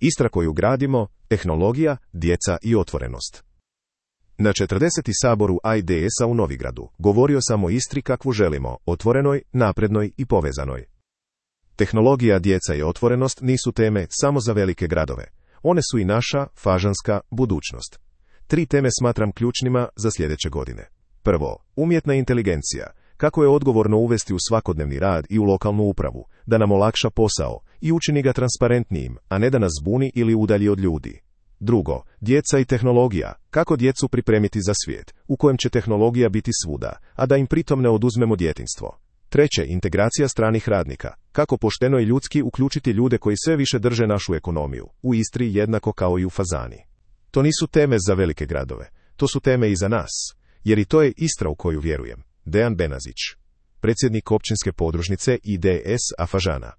Istra koju gradimo, tehnologija, djeca i otvorenost. Na 40. saboru AIDS-a u Novigradu govorio sam o Istri kakvu želimo, otvorenoj, naprednoj i povezanoj. Tehnologija, djeca i otvorenost nisu teme samo za velike gradove. One su i naša, fažanska, budućnost. 3 teme smatram ključnima za sljedeće godine. Prvo, umjetna inteligencija. Kako je odgovorno uvesti u svakodnevni rad i u lokalnu upravu, da nam olakša posao i učini ga transparentnijim, a ne da nas zbuni ili udalji od ljudi. Drugo, djeca i tehnologija. Kako djecu pripremiti za svijet, u kojem će tehnologija biti svuda, a da im pritom ne oduzmemo djetinjstvo. Treće, integracija stranih radnika. Kako pošteno i ljudski uključiti ljude koji sve više drže našu ekonomiju, u Istri jednako kao i u Fazani. To nisu teme za velike gradove, to su teme i za nas, jer i to je Istra u koju vjerujem. Dejan Benazić, predsjednik općinske podružnice IDS-a Fažana.